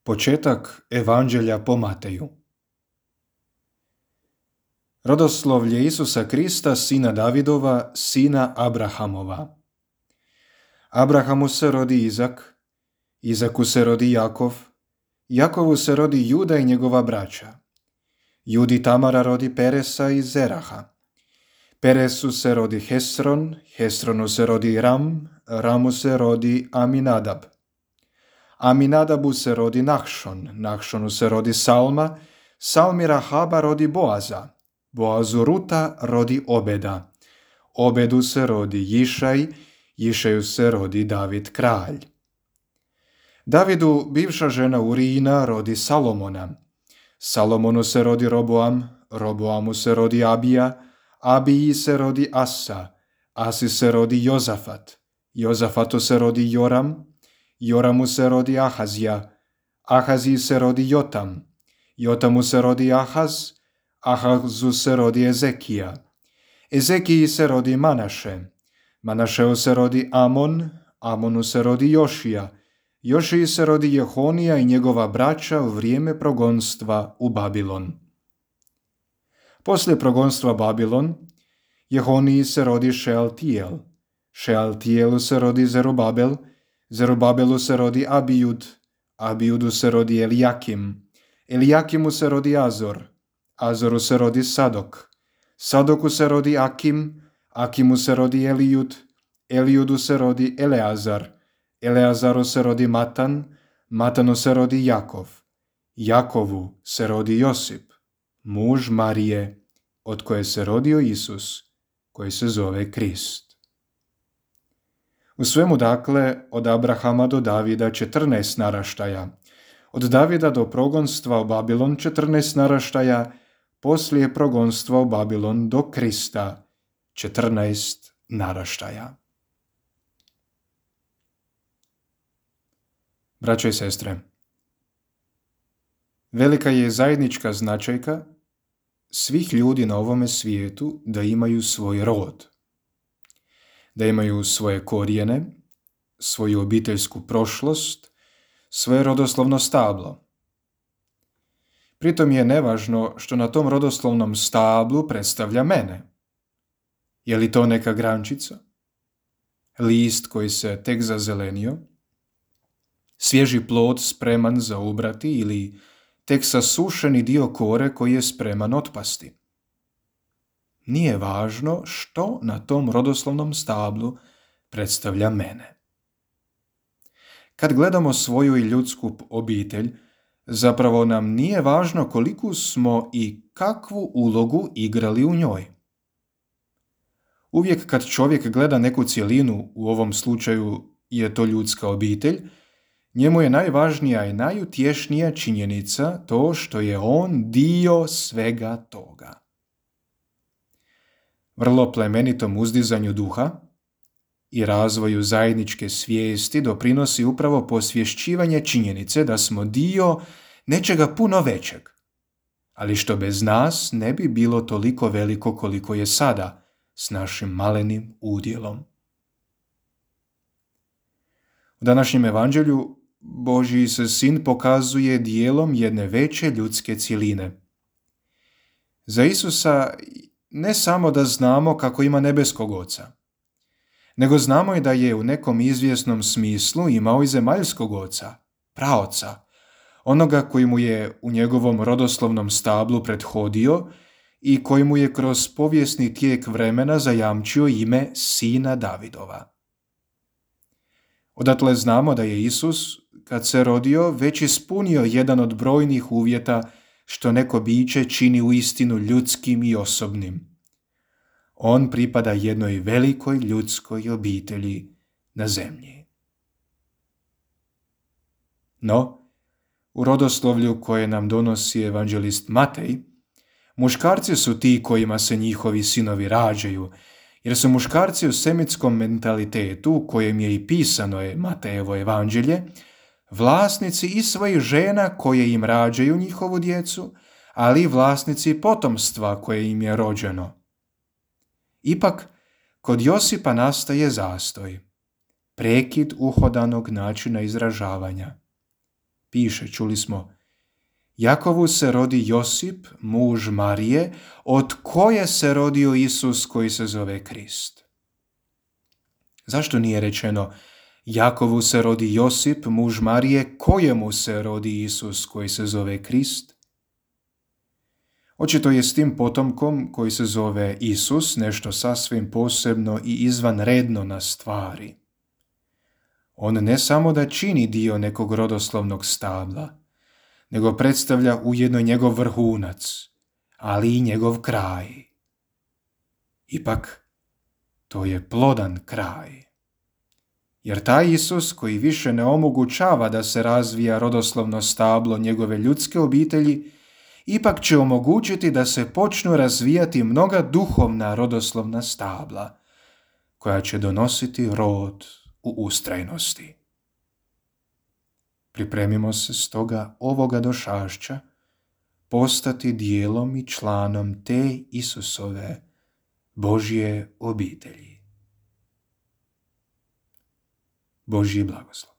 Početak Evanđelja po Mateju. Rodoslovlje Isusa Krista, sina Davidova, sina Abrahamova. Abrahamu se rodi Izak, Izaku se rodi Jakov, Jakovu se rodi Juda i njegova braća. Judi Tamara rodi Peresa i Zeraha. Peresu se rodi Hesron, Hesronu se rodi Ram, Ramu se rodi Aminadab. Aminadabu se rodi Nahšon, Nahšonu se rodi Salma, Salmi Rahaba rodi Boaza, Boazu Ruta rodi Obeda, Obedu se rodi Jišaj, Jišaju se rodi David kralj. Davidu bivša žena Urijina rodi Salomona, Salomonu se rodi Roboam, Roboamu se rodi Abija, Abiji se rodi Asa, Asi se rodi Jozafat, Jozafatu se rodi Joram, Joramu se rodi Ahazija, Ahaziji se rodi Jotam, Jotamu se rodi Ahaz, Ahazu se rodi Ezekija, Ezekiji se rodi Manaše, Manašeu se rodi Amon, Amonu se rodi Jošija, Jošiji se rodi Jehonija i njegova braća u vrijeme progonstva u Babilon. Poslije progonstva Babilon, Jehoniji se rodi Šealtijel, Šealtijelu se rodi Zerubabel, Zerubabelu se rodi Abijud, Abijudu se rodi Elijakim, Elijakimu se rodi Azor, Azoru se rodi Sadok, Sadoku se rodi Akim, Akimu se rodi Elijud, Elijudu se rodi Eleazar, Eleazaru se rodi Matan, Matanu se rodi Jakov, Jakovu se rodi Josip, muž Marije, od koje se rodio Isus, koji se zove Krist. U svemu dakle od Abrahama do Davida 14 naraštaja, od Davida do progonstva u Babilon 14 naraštaja, poslije progonstva u Babilon do Krista 14 naraštaja. Braćo i sestre, velika je zajednička značajka svih ljudi na ovome svijetu da imaju svoj rod, da imaju svoje korijene, svoju obiteljsku prošlost, svoje rodoslovno stablo. Pritom je nevažno što na tom rodoslovnom stablu predstavlja mene. Je li to neka grančica, list koji se tek zazelenio, svježi plod spreman za ubrati ili tek sasušeni dio kore koji je spreman otpasti. Nije važno što na tom rodoslovnom stablu predstavlja mene. Kad gledamo svoju i ljudsku obitelj, zapravo nam nije važno koliku smo i kakvu ulogu igrali u njoj. Uvijek kad čovjek gleda neku cjelinu, u ovom slučaju je to ljudska obitelj, njemu je najvažnija i najutješnija činjenica to što je on dio svega toga. Vrlo plemenitom uzdizanju duha i razvoju zajedničke svijesti doprinosi upravo posvješćivanje činjenice da smo dio nečega puno većeg, ali što bez nas ne bi bilo toliko veliko koliko je sada s našim malenim udjelom. U današnjem evanđelju Božji se sin pokazuje dijelom jedne veće ljudske cjeline. Za Isusa ne samo da znamo kako ima nebeskog oca, nego znamo i da je u nekom izvjesnom smislu imao i zemaljskog oca, praoca, onoga koji mu je u njegovom rodoslovnom stablu prethodio i koji mu je kroz povijesni tijek vremena zajamčio ime sina Davidova. Odatle znamo da je Isus, kad se rodio, već ispunio jedan od brojnih uvjeta što neko biće čini uistinu ljudskim i osobnim. On pripada jednoj velikoj ljudskoj obitelji na zemlji. No, u rodoslovlju koje nam donosi evanđelist Matej, muškarci su ti kojima se njihovi sinovi rađaju, jer su muškarci u semitskom mentalitetu, u kojem je i pisano je Matejevo evanđelje, vlasnici i svojih žena koje im rađaju njihovu djecu, ali i vlasnici potomstva koje im je rođeno. Ipak, kod Josipa nastaje zastoj, prekid uhodanog načina izražavanja. piše, čuli smo, Jakovu se rodi Josip, muž Marije, od koje se rodio Isus koji se zove Krist. Zašto nije rečeno Jakovu se rodi Josip, muž Marije, kojemu se rodi Isus koji se zove Krist? Očito je s tim potomkom koji se zove Isus nešto sasvim posebno i izvanredno na stvari. On ne samo da čini dio nekog rodoslovnog stabla, nego predstavlja ujedno njegov vrhunac, ali i njegov kraj. Ipak, to je plodan kraj. Jer taj Isus koji više ne omogućava da se razvija rodoslovno stablo njegove ljudske obitelji, ipak će omogućiti da se počnu razvijati mnoga duhovna rodoslovna stabla, koja će donositi rod u ustrajnosti. Pripremimo se stoga ovoga došašća postati dijelom i članom te Isusove Božje obitelji. Božji blagoslov.